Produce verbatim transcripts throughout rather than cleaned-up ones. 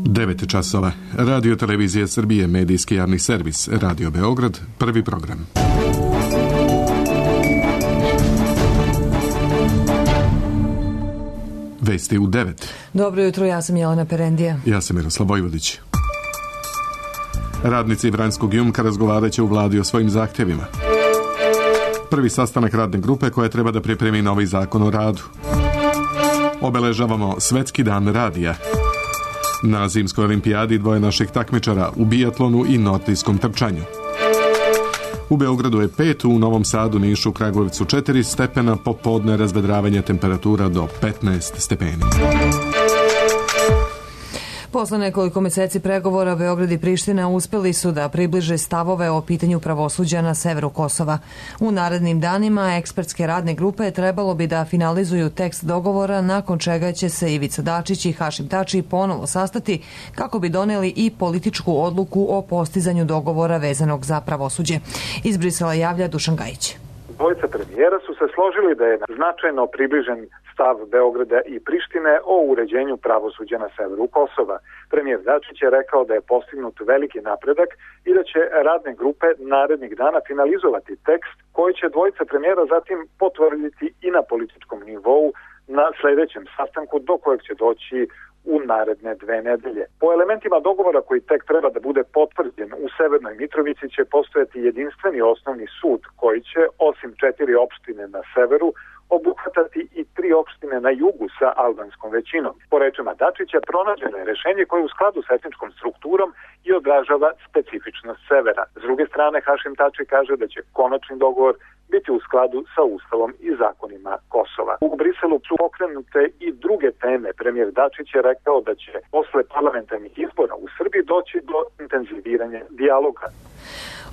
devet časova. Radio Televizija Srbije, medijski javni servis, Radio Beograd, prvi program. Vesti u devet. Dobro jutro, ja sam Jelena Perendija. Ja sam Miroslav Vojvodić. Radnici Vranjskog Jumka razgovarat će u vladi o svojim zahtjevima. Prvi sastanak radne grupe koja treba da pripremi novi zakon o radu. Obeležavamo Svetski dan radija. Na zimskoj olimpijadi dvoje naših takmičara u bijatlonu i nordijskom trčanju. U Beogradu je pet, u Novom Sadu, Nišu, Kragujevcu četiri stepena, popodne razvedravanje temperatura do petnaest stepeni. Posle nekoliko meseci pregovora Beograd i Priština uspeli su da približe stavove o pitanju pravosuđa na severu Kosova. U narednim danima ekspertske radne grupe trebalo bi da finalizuju tekst dogovora, nakon čega će se Ivica Dačić i Hašim Tači ponovo sastati kako bi doneli i političku odluku o postizanju dogovora vezanog za pravosuđe. Iz Brisela javlja Dušan Gajić. Dvojica premijera su se složili da je značajno približen stav Beograda i Prištine o uređenju pravosuđa na severu Kosova. Premijer Dačić je rekao da je postignut veliki napredak i da će radne grupe narednih dana finalizovati tekst koji će dvojica premijera zatim potvrditi i na političkom nivou na sledećem sastanku do kojeg će doći u naredne dve nedelje. Po elementima dogovora koji tek treba da bude potvrđen, u Severnoj Mitrovici će postojati jedinstveni osnovni sud koji će, osim četiri opštine na severu, obuhvatati i tri opštine na jugu sa albanskom većinom. Po rečima Dačića, pronađeno je rešenje koje je u skladu sa etničkom strukturom i odražava specifičnost severa. S druge strane, Hašim Tači kaže da će konačni dogovor biti u skladu sa Ustavom i zakonima Kosova. U Briselu su pokrenute i druge teme. Premijer Dačić je rekao da će posle parlamentarnih izbora u Srbiji doći do intenziviranja dijaloga.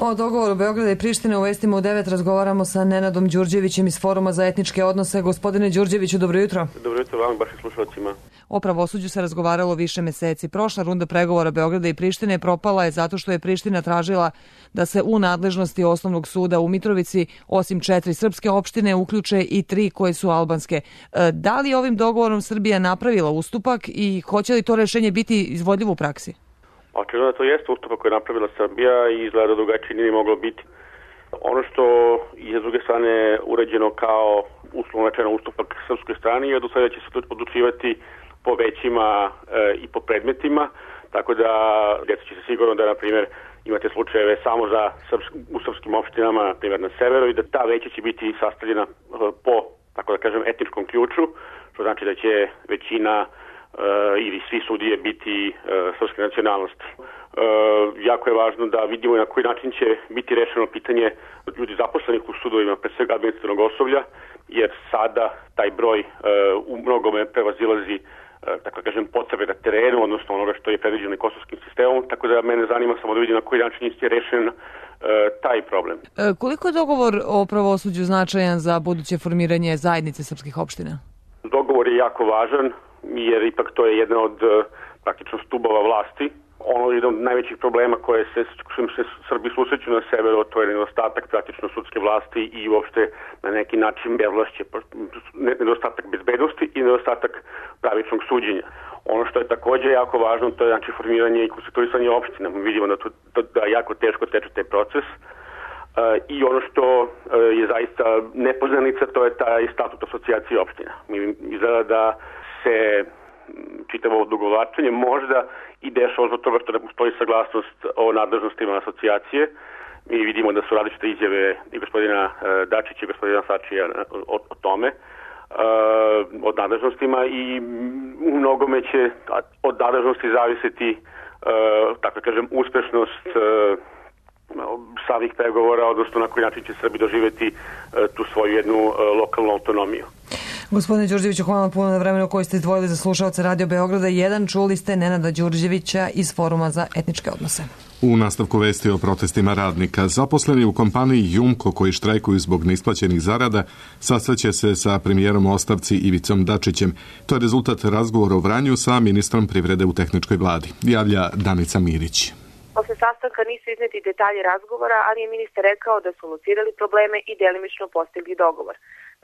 O dogovoru Beograda i Prištine u vestima u devet razgovaramo sa Nenadom Đurđevićem iz Foruma za etničke odnose. Gospodine Đurđeviću, dobro jutro. Dobro jutro vam, baš i slušalcima. O pravosuđu se razgovaralo više meseci. Prošla runda pregovora Beograda i Prištine propala je zato što je Priština tražila da se u nadležnosti osnovnog suda u Mitrovici, osim četiri srpske opštine, uključe i tri koje su albanske. Da li ovim dogovorom Srbija napravila ustupak i hoće li to rešenje biti izvodljivo u praksi? Očigledno da to jeste ustupak koji je napravila Srbija i izgleda drugačije nije moglo biti. Ono što je s druge strane urađeno kao uslovno rečeno ustupak srpskoj strani je do sada će se odlučivati po većima e, i po predmetima, tako da djeca će se sigurno da, na primjer, imate slučajeve samo za srpsk, u srpskim opštinama, na primjer na severu, i da ta veća će biti sastavljena e, po, tako da kažem, etničkom ključu, što znači da će većina Uh, ili svi sudije biti uh, srpske nacionalnosti. Uh, jako je važno da vidimo na koji način će biti rešeno pitanje ljudi zaposlenih u sudovima, pre svega administrativnog osoblja, jer sada taj broj uh, u mnogome prevazilazi uh, tako kažem, potrebe na terenu, odnosno onoga što je predviđeno kosovskim sistemom, tako da mene zanima samo da vidim na koji način je rešen uh, taj problem. E, koliko je dogovor o pravosuđu značajan za buduće formiranje zajednice srpskih opština? Dogovor je jako važan, jer ipak to je jedna od praktično stubova vlasti. Ono je jedan od najvećih problema koje se, se Srbi susreću na severu, to je nedostatak praktično sudske vlasti i uopšte na neki način bezvlašće, nedostatak bezbednosti i nedostatak pravičnog suđenja. Ono što je također jako važno, to je znači formiranje i konstituisanje opština. Mi vidimo da, to, da, da jako teško teče taj proces. Uh, I ono što uh, je zaista nepoznanica, to je taj statut asocijacije opština. Mi izgleda da se čitavo odugovlačenje možda i dešava zbog toga što ne postoji saglasnost o nadležnostima asocijacije. Mi vidimo da su različite izjave i gospodina uh, Dačića i gospodina Sačija o, o tome, uh, od nadležnostima, i u mnogome će od nadležnosti zavisiti, uh, tako kažem, uspešnost uh, samih pregovora, odnosno na koji način će Srbi doživjeti uh, tu svoju jednu uh, lokalnu autonomiju. Gospodine Đurđeviću, hvala puno na vremenu koji ste izdvojili za slušalce Radio Beograda jedan. Čuli ste Nenada Đurđevića iz Foruma za etničke odnose. U nastavku vesti o protestima radnika, zaposleni u kompaniji Jumko koji štrajkuju zbog neisplaćenih zarada sastaće se sa premijerom u ostavci Ivicom Dačićem. To je rezultat razgovora u Vranju sa ministrom privrede u tehničkoj vladi. Javlja Danica Mirić. Posle sastanka nisu izneti detalji razgovora, ali je ministar rekao da su locirali probleme i delimično postigli dogovor.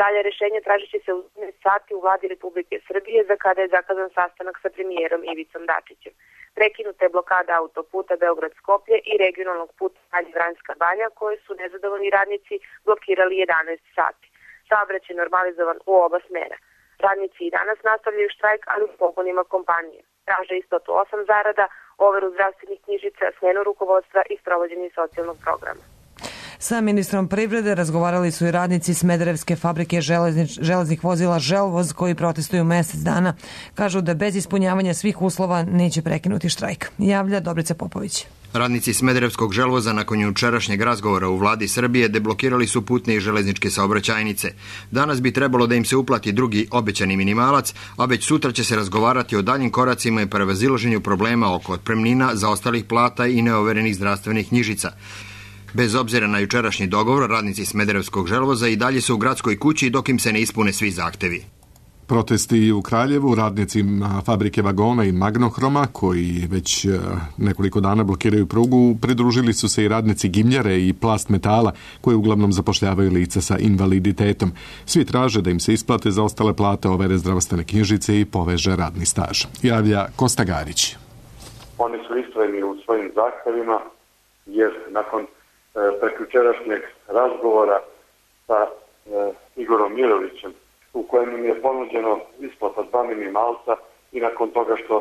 Dalje rešenje tražit će se u sati u vladi Republike Srbije, za kada je zakazan sastanak sa premijerom Ivicom Dačićem. Prekinuta je blokada autoputa Beograd-Skoplje i regionalnog puta Vranjska Banja, koje su nezadovoljni radnici blokirali jedanaest sati. Saobraćaj je normalizovan u oba smera. Radnici i danas nastavljaju štrajk, ali u pogonima kompanije. Traže isplatu osam zarada, overu zdravstvenih knjižica, smenu rukovodstva i sprovođenje socijalnog programa. Sa ministrom privrede razgovarali su i radnici Smederevske fabrike železnič, železnih vozila Želvoz, koji protestuju mesec dana. Kažu da bez ispunjavanja svih uslova neće prekinuti štrajk. Javlja Dobrica Popović. Radnici Smederevskog Želvoza nakon jučerašnjeg razgovora u vladi Srbije deblokirali su putne i železničke saobraćajnice. Danas bi trebalo da im se uplati drugi obećani minimalac, a već sutra će se razgovarati o daljim koracima i prevazilaženju problema oko otpremnina, zaostalih plata i neoverenih zdravstvenih knjižica. Bez obzira na jučerašnji dogovor, radnici Smederevskog Želvoza i dalje su u gradskoj kući dok im se ne ispune svi zahtevi. Protesti u Kraljevu radnicima fabrike vagona i Magnohroma, koji već nekoliko dana blokiraju prugu, pridružili su se i radnici Gimljare i Plast metala, koji uglavnom zapošljavaju lica sa invaliditetom. Svi traže da im se isplate za ostale plate, overe zdravstvene knjižice i poveže radni staž. Javlja Kosta Garić. Oni su istrajni u svojim zahtevima, jer nakon e, prekjučerašnjeg razgovora sa e, Igorom Mirovićem, u kojem im je ponuđeno isplata dva minimalca i nakon toga što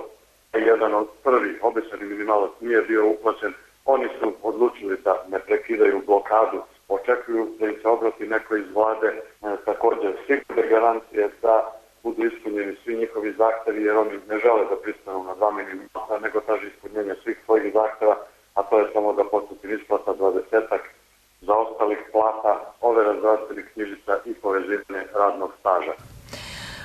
jedan od prvih obećani minimalac nije bio uplaćen, oni su odlučili da ne prekidaju blokadu. Očekuju da im se obrati neko iz vlade, e, također sigurne garancije da budu ispunjeni svi njihovi zahtevi, jer oni ne žele da pristanu na dva minimalca, nego traže ispunjenje svih svojih zahteva, a to je samo da postupi isplata dvadesetak zaostalih plata, overa zdravstvenih knjižica i povezivanje radnog staža.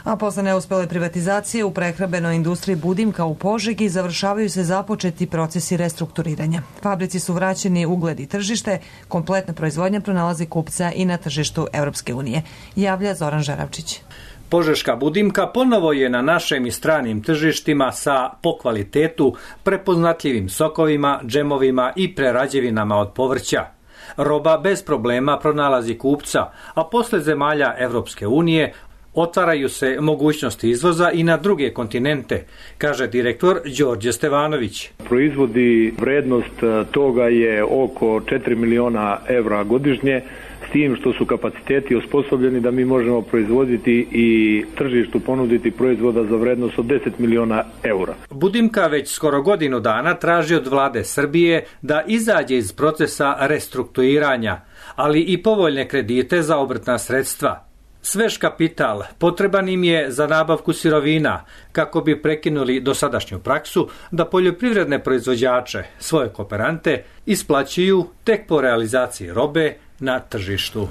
A posle neuspele privatizacije u prehrambenoj industriji Budimka u Požegi završavaju se započeti procesi restrukturiranja. Fabrici su vraćeni ugled i tržište, kompletna proizvodnja pronalazi kupca i na tržištu Evropske unije. Javlja Zoran Žaravčić. Požeška Budimka ponovo je na našim i stranim tržištima sa po kvalitetu prepoznatljivim sokovima, džemovima i prerađevinama od povrća. Roba bez problema pronalazi kupca, a posle zemalja Evropske unije otvaraju se mogućnosti izvoza i na druge kontinente, kaže direktor Đorđe Stevanović. Proizvodi vrednost toga je oko četiri miliona evra godišnje, s tim što su kapaciteti osposobljeni da mi možemo proizvoditi i tržištu ponuditi proizvoda za vrednost od deset miliona eura. Budimka već skoro godinu dana traži od vlade Srbije da izađe iz procesa restrukturiranja, ali i povoljne kredite za obrtna sredstva. Svež kapital potreban im je za nabavku sirovina kako bi prekinuli dosadašnju praksu da poljoprivredne proizvođače, svoje kooperante, isplaćuju tek po realizaciji robe na tržištu.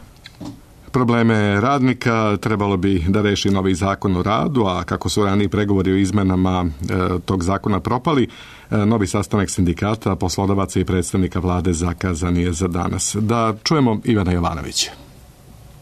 Probleme radnika trebalo bi da reši novi zakon o radu, a kako su raniji pregovori o izmenama e, tog zakona propali, e, novi sastanak sindikata, poslodavaca i predstavnika vlade zakazan je za danas. Da čujemo Ivana Jovanovića.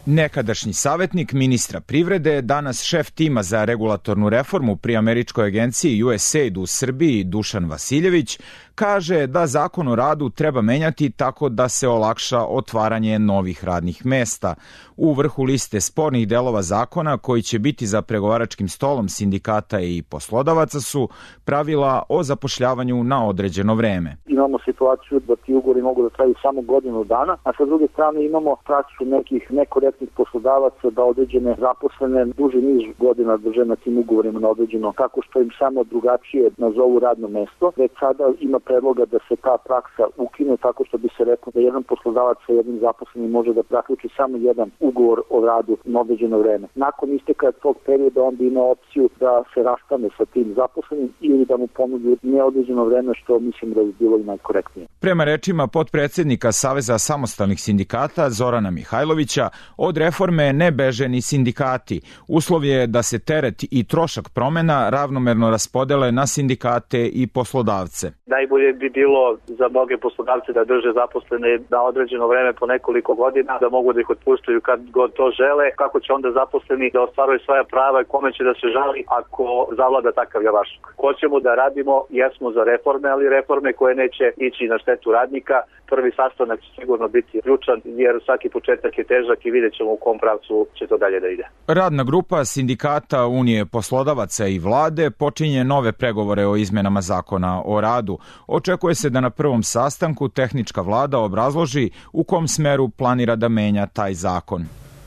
Nekadašnji savjetnik ministra privrede, danas šef tima za regulatornu reformu pri američkoj agenciji U S A I D u Srbiji, Dušan Vasiljević, kaže da zakon o radu treba menjati tako da se olakša otvaranje novih radnih mesta. U vrhu liste spornih delova zakona koji će biti za pregovaračkim stolom sindikata i poslodavaca su pravila o zapošljavanju na određeno vreme. Imamo situaciju da ti ugovori mogu da traju samo godinu dana, a sa druge strane imamo praksu nekih nekorektnih poslodavaca da određene zaposlene duži niz godina drže na tim ugovorima na određeno, tako što im samo drugačije nazovu radno mesto. Već sada ima predloga da se ta praksa ukine tako što bi se reklo da jedan poslodavac sa jednim zaposlenim može da zaključi samo jedan ugovor o radu na određeno vreme. Nakon isteka tog perioda onda ima opciju da se rastane sa tim zaposlenim ili da mu ponudi neodređeno vreme, što mislim da bi bilo i najkorektnije. Prema rečima potpredsednika Saveza samostalnih sindikata Zorana Mihajlovića, od reforme ne beže ni sindikati. Uslov je da se teret i trošak promena ravnomerno raspodele na sindikate i poslodavce. Najbolje bi bilo za mnoge poslodavce da drže zaposlene na određeno vreme po nekoliko godina, da mogu da ih otpuštaju kad god to žele. Kako će onda zaposleni da ostvaruju svoja prava i kome će da se žali ako zavlada takav javašluk? Hoćemo da radimo, jesmo za reforme, ali reforme koje neće ići na štetu radnika, prvi sastanak će sigurno biti ključan, jer svaki početak je težak i vidjet ćemo u kom pravcu će to dalje da ide. Radna grupa sindikata Unije poslodavaca i vlade počinje nove pregovore o izmenama zakona o radu. Očekuje se da na prvom sastanku tehnička vlada obrazloži u kom smeru planira da menja taj zakon.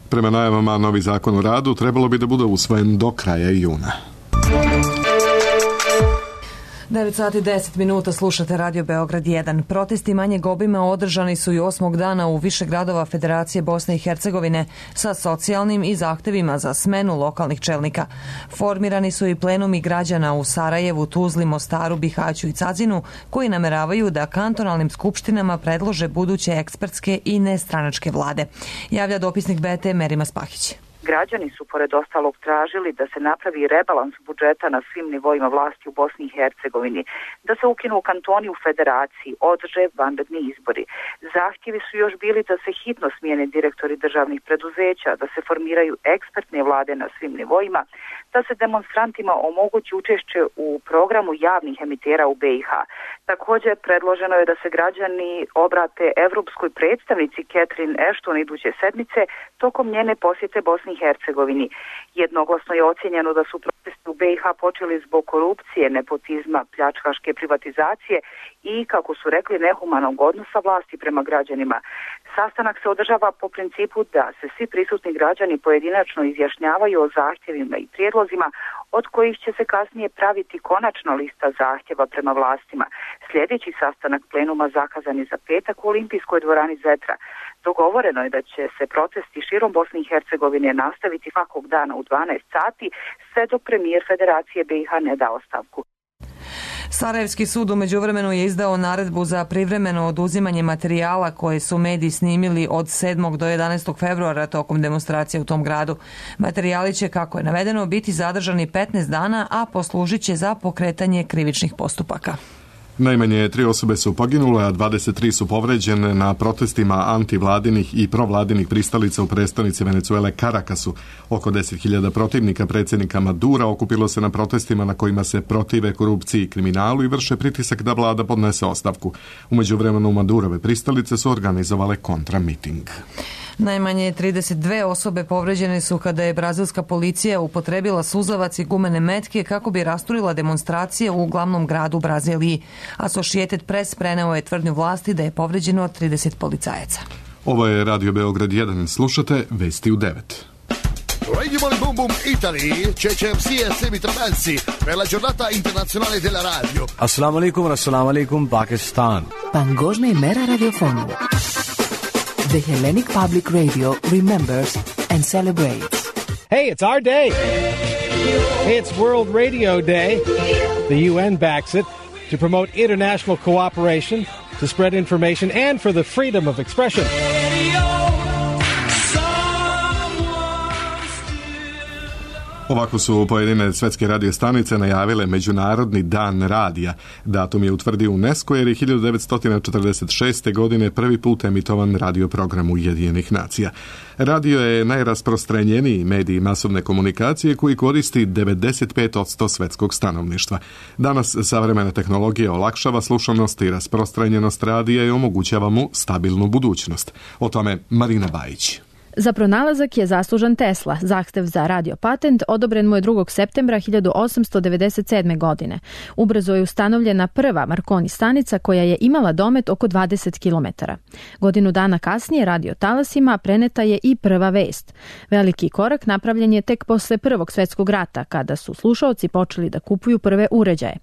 Prema najavama, novi zakon o radu trebalo bi da bude usvojen do kraja juna. devet sati deset minuta, slušate Radio Beograd jedan. Protesti manjeg obima održani su i osmog dana u više gradova Federacije Bosne i Hercegovine sa socijalnim i zahtevima za smenu lokalnih čelnika. Formirani su i plenumi građana u Sarajevu, Tuzli, Mostaru, Bihaću i Cazinu, koji nameravaju da kantonalnim skupštinama predlože buduće ekspertske i nestranačke vlade. Javlja dopisnik B T Merima Spahić. Građani su pored ostalog tražili da se napravi rebalans budžeta na svim nivoima vlasti u Bosni i Hercegovini, da se ukinu kantoni u federaciji, održe vanredni izbori. Zahtjevi su još bili da se hitno smijene direktori državnih preduzeća, da se formiraju ekspertne vlade na svim nivoima, da se demonstrantima omogući učešće u programu javnih emitera u B i H. Također predloženo je da se građani obrate evropskoj predstavnici Catherine Ashton iduće sedmice tokom njene posjete Bosni i Hercegovini. Jednoglasno je ocjenjeno da su protesti u B i H počeli zbog korupcije, nepotizma, pljačkaške privatizacije i, kako su rekli, nehumanog odnosa vlasti prema građanima. Sastanak se održava po principu da se svi prisutni građani pojedinačno izjašnjavaju o zahtjevima i prijedlozima, od kojih će se kasnije praviti konačna lista zahtjeva prema vlastima. Sljedeći sastanak plenuma zakazan je za petak u Olimpijskoj dvorani Zetra. Dogovoreno je da će se protesti širom Bosne i Hercegovine nastaviti svakog dana u dvanaest sati, sve dok premijer Federacije B i H ne da ostavku. Sarajevski sud u međuvremenu je izdao naredbu za privremeno oduzimanje materijala koje su mediji snimili od sedmog do jedanaestog februara tokom demonstracije u tom gradu. Materijali će, kako je navedeno, biti zadržani petnaest dana, a poslužit će za pokretanje krivičnih postupaka. Najmanje tri osobe su poginule, a dvadeset tri su povređene na protestima antivladinih i provladinih pristalica u prestonici Venecuele Carakasu. Oko deset hiljada protivnika predsjednika Madura okupilo se na protestima na kojima se protive korupciji i kriminalu i vrše pritisak da vlada podnese ostavku. U međuvremenu Madurove pristalice su organizovale kontramiting. Najmanje trideset dve osobe povređene su kada je brazilska policija upotrebila suzavac i gumene metke kako bi rasturila demonstracije u glavnom gradu Braziliji. Associated Press preneo je tvrdnju vlasti da je povređeno trideset policajaca. Ovo je Radio Beograd jedan. Slušate vesti u devet. Radio Boom Boom Italy, C C M C e Semi Tramelsi per la giornata internazionale della radio. Assalamu alaikum, assalamu alaikum, Pakistan. Παγκόσμια ημέρα ραδιοφώνου. The Hellenic Public Radio remembers and celebrates. Hey, it's our day. It's World Radio Day. The U N backs it to promote international cooperation, to spread information, and for the freedom of expression. Ovako su pojedine svetske radio stanice najavile Međunarodni dan radija. Datum je utvrdio UNESCO jer je hiljadu devetsto četrdeset šeste. godine prvi put emitovan radio program Ujedinjenih nacija. Radio je najrasprostranjeniji medij masovne komunikacije koji koristi devedeset pet posto svetskog stanovništva. Danas savremena tehnologija olakšava slušanost i rasprostranjenost radija i omogućava mu stabilnu budućnost. O tome Marina Bajić. Za pronalazak je zaslužan Tesla. Zahtev za radio patent odobren mu je drugog septembra hiljadu osamsto devedeset sedme. godine. Ubrzo je ustanovljena prva Marconi stanica koja je imala domet oko dvadeset kilometara. Godinu dana kasnije radio talasima preneta je i prva vest. Veliki korak napravljen je tek posle Prvog svjetskog rata, kada su slušaoci počeli da kupuju prve uređaje.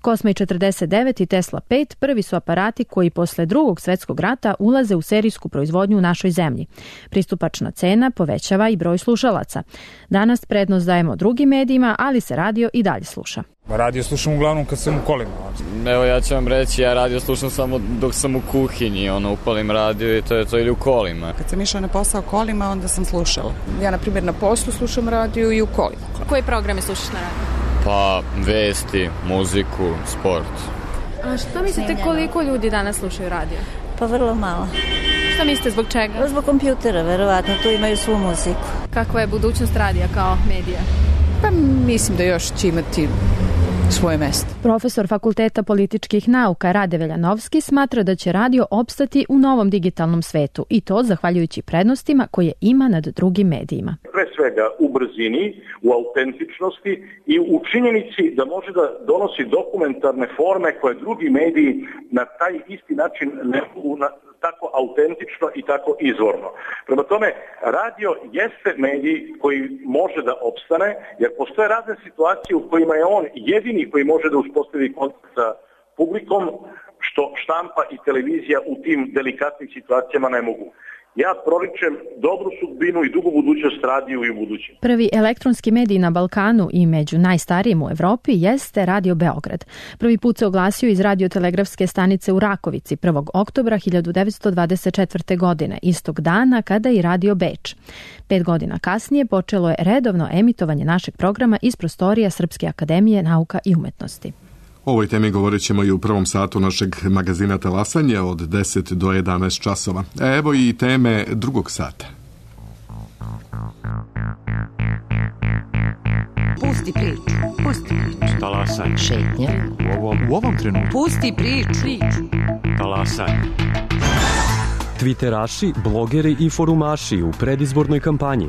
Cosma četrdeset devet i Tesla pet prvi su aparati koji posle Drugog svjetskog rata ulaze u serijsku proizvodnju u našoj zemlji. Pristupačna cena povećava i broj slušalaca. Danas prednost dajemo drugim medijima, ali se radio i dalje sluša. Radio slušam uglavnom kad sam u kolima. Evo ja ću vam reći, ja radio slušam samo dok sam u kuhinji, ono upalim radio i to je to, ili u kolima. Kad sam išla na posao kolima, onda sam slušala. Ja, na primjer, na poslu slušam radio i u kolima. Koje programe slušaš na radiju? Pa, vesti, muziku, sport. A što mislite koliko ljudi danas slušaju radio? Pa vrlo malo. Što mislite, zbog čega? Zbog kompjutera, verovatno, tu imaju svu muziku. Kakva je budućnost radija kao medija? Pa mislim da još će imati svoje mesto. Profesor Fakulteta političkih nauka Rade Veljanovski smatra da će radio opstati u novom digitalnom svetu i to zahvaljujući prednostima koje ima nad drugim medijima. Pre svega u brzini, u autentičnosti i u činjenici da može da donosi dokumentarne forme koje drugi mediji na taj isti način ne mogu na tako autentično i tako izvorno. Prema tome, radio jeste medij koji može da opstane, jer postoje razne situacije u kojima je on jedini koji može da uspostavi kontakt sa publikom, što štampa i televizija u tim delikatnim situacijama ne mogu. Ja proričem dobru sudbinu i dugu budućnost radiju i u budućem. Prvi elektronski medij na Balkanu i među najstarijim u Evropi jeste Radio Beograd. Prvi put se oglasio iz radiotelegrafske stanice u Rakovici prvog oktobra hiljadu devetsto dvadeset četvrte. godine, istog dana kada i Radio Beč. Pet godina kasnije počelo je redovno emitovanje našeg programa iz prostorija Srpske akademije nauka i umetnosti. O ovoj temi govorit ćemo i u prvom satu našeg magazina Talasanje od deset do jedanaest časova. Evo i teme drugog sata. Pusti priču, pusti priču. Talasanje. Šetnja. U ovom, u ovom trenutku. Pusti priču. Talasanje. Twitteraši, blogeri i forumaši u predizbornoj kampanji.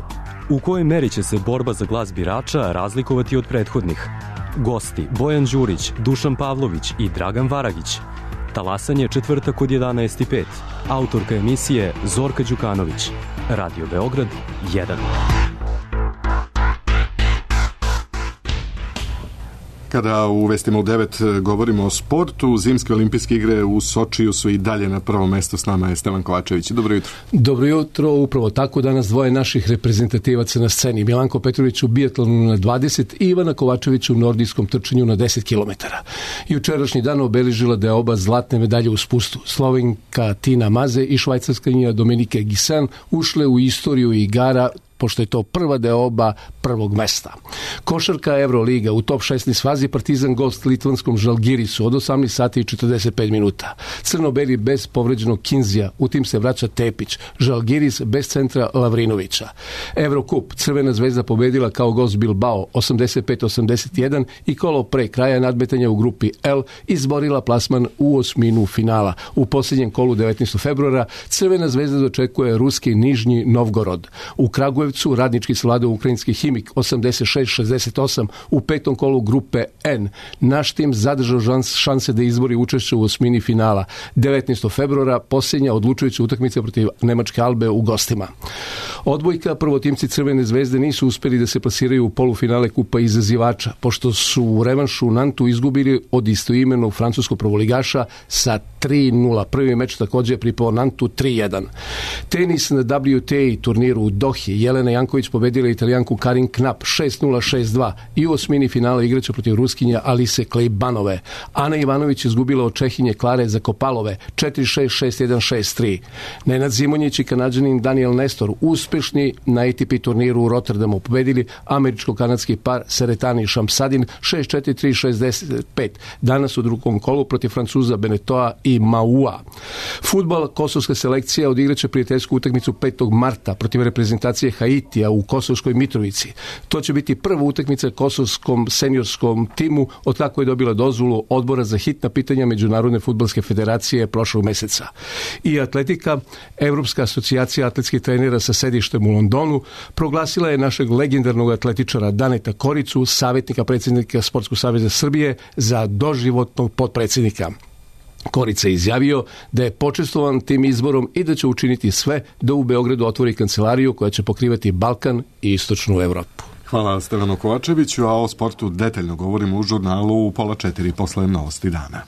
U kojoj meri će se borba za glas birača razlikovati od prethodnih? Gosti Bojan Đurić, Dušan Pavlović i Dragan Varagić. Talasanje četvrtak od jedanaest i pet. Autorka emisije Zorka Đukanović. Radio Beograd jedan. Kada u Vestima u devet govorimo o sportu, zimske olimpijske igre u Sočiju su i dalje na prvo mesto. S nama je Stevan Kovačević. Dobro jutro. Dobro jutro, upravo tako danas dvoje naših reprezentativaca na sceni. Milanko Petrović u bijatlonu na dvadeset i Ivana Kovačević u nordijskom trčanju na deset kilometara. Jučerašnji dan obeležila da je oba zlatne medalje u spustu. Slovenka Tina Maze i švajcarskinja Dominike Gisan ušle u istoriju igara, pošto je to prva deoba prvog mesta. Košarka Euroliga u top šesnaest fazi Partizan gost litvanskom Žalgirisu od osamnaest sati i četrdeset pet minuta. Crnobeli bez povređenog Kinzija, u tim se vraća Tepić. Žalgiris bez centra Lavrinovića. Evrokup, Crvena zvezda pobedila kao gost Bilbao osamdeset pet osamdeset jedan i kolo pre kraja nadmetanja u grupi L izborila plasman u osminu finala. U posljednjem kolu devetnaestog februara Crvena zvezda dočekuje ruski Nižnji Novgorod. U Kragujevcu radnički savladao ukrajinski Himik osamdeset šest šezdeset osam u petom kolu grupe N. Naš tim zadržao šanse da izbori učešće u osmini finala. devetnaestog februara posljednja odlučujuća utakmica protiv Nemačke Albe u gostima. Odbojka, prvotimci Crvene zvezde nisu uspjeli da se plasiraju u polufinale kupa izazivača, pošto su u revanšu u Nantu izgubili od istoimenog francuskog prvoligaša sa tri nula. Prvi meč također je pripao Nantu tri jedan. Tenis na W T A turniru u Dohi. Jelena Janković pobedila Italijanku Karin Knap šest nula šest dva i u osmini finala igraće protiv Ruskinja Alise Klejbanove. Ana Ivanović izgubila od Čehinje Klare Zakopalove četiri šest šest jedan šest tri. Nenad Zimonjić i Kanadžanin Daniel Nestor uspešni na A T P turniru u Rotterdamu pobedili američko-kanadski par Seretani Šamsadin šest četiri tri šezdeset pet. Danas u drugom kolu protiv Francuza Benetoa i Maua. Fudbal, kosovska selekcija odigraće prijateljsku utakmicu petog marta protiv reprezentacije Haitija u Kosovskoj Mitrovici. To će biti prva utakmica kosovskom seniorskom timu od kako je dobila dozvolu Odbora za hitna pitanja Međunarodne fudbalske federacije prošlog meseca. I atletika, Evropska asocijacija atletskih trenera sa sedištem u Londonu proglasila je našeg legendarnog atletičara Daneta Koricu, savjetnika predsjednika Sportskog saveza Srbije, za doživotnog potpredsjednika. Korica je izjavio da je počestvovan tim izborom i da će učiniti sve da u Beogradu otvori kancelariju koja će pokrivati Balkan i istočnu Evropu. Hvala Stevanu Kovačeviću, a o sportu detaljno govorimo u žurnalu u pola četiri posle novosti dana.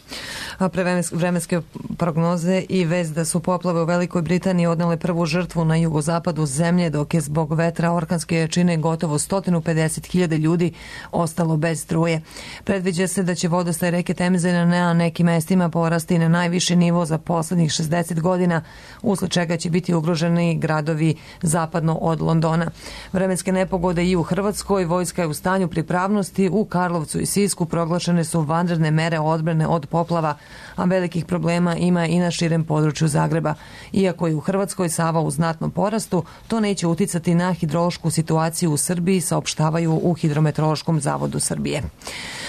A pre vremenske prognoze i vest da su poplave u Velikoj Britaniji odnele prvu žrtvu na jugozapadu zemlje, dok je zbog vetra orkanske jačine gotovo sto pedeset hiljada ljudi ostalo bez struje. Predviđa se da će vodostaj reke Temze na nekim mestima porasti na najviši nivo za poslednjih šezdeset godina, usled čega će biti ugroženi gradovi zapadno od Londona. Vremenske nepogode i u Hrvatskoj, vojska je u stanju pripravnosti. U Karlovcu i Sisku proglašene su vanredne mere odbrane od poplava a velikih problema ima i na širem području Zagreba. Iako je u Hrvatskoj Sava u znatnom porastu, to neće uticati na hidrološku situaciju u Srbiji, saopštavaju u Hidrometeorološkom zavodu Srbije.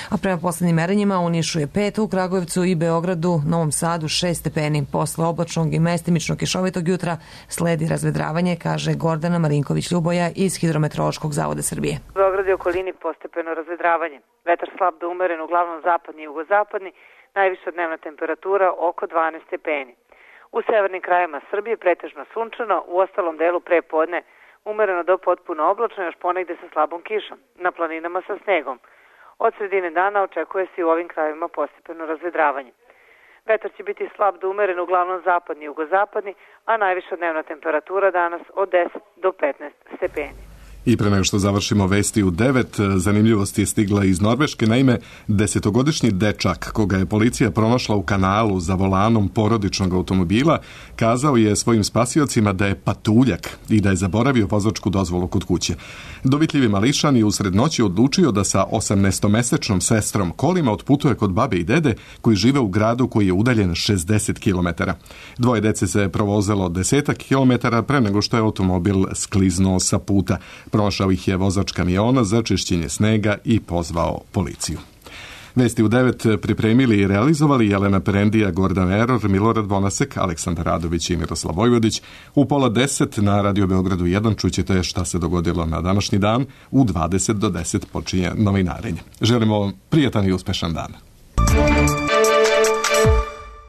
A prema poslednjim merenjima u Nišu je pet, u Kragujevcu i Beogradu, Novom Sadu šest stepeni. Posle oblačnog i mestimično kišovitog jutra sledi razvedravanje, kaže Gordana Marinković-Ljuboja iz Hidrometeorološkog zavoda Srbije. U Beogradu i okolini postepeno razvedravanje. Vetar slab do umeren, uglavnom zapadni i jugozapadni, najviša dnevna temperatura oko dvanaest stepeni. U severnim krajevima Srbije pretežno sunčano, u ostalom delu pre podne umereno do potpuno oblačno, još ponegde sa slabom kišom, na planinama sa snegom. Od sredine dana očekuje se i u ovim krajevima postepeno razvedravanje. Vetar će biti slab do umeren, uglavnom zapadni i jugozapadni, a najviša dnevna temperatura danas od deset do petnaest stepeni. I pre nego što završimo vesti u devet, zanimljivost je stigla iz Norveške. Naime, desetogodišnji dečak koga je policija pronašla u kanalu za volanom porodičnog automobila kazao je svojim spasiocima da je patuljak i da je zaboravio vozačku dozvolu kod kuće. Dovitljivi mališan je usred noći odlučio da sa osamnaestomesečnom sestrom kolima otputuje kod babe i dede koji žive u gradu koji je udaljen šezdeset kilometara. Dvoje dece se provozelo desetak kilometara pre nego što je automobil skliznuo sa puta. Prošao ih je vozač kamiona za čišćenje snega i pozvao policiju. Vesti u devet pripremili i realizovali Jelena Perendija, Gordan Eror, Milorad Bonasek, Aleksandar Radović i Miroslav Vojvodić. U pola deset na Radio Beogradu jedan čućete šta se dogodilo na današnji dan. U dvadeset do deset počinje novinarenje. Želimo prijatan i uspešan dan.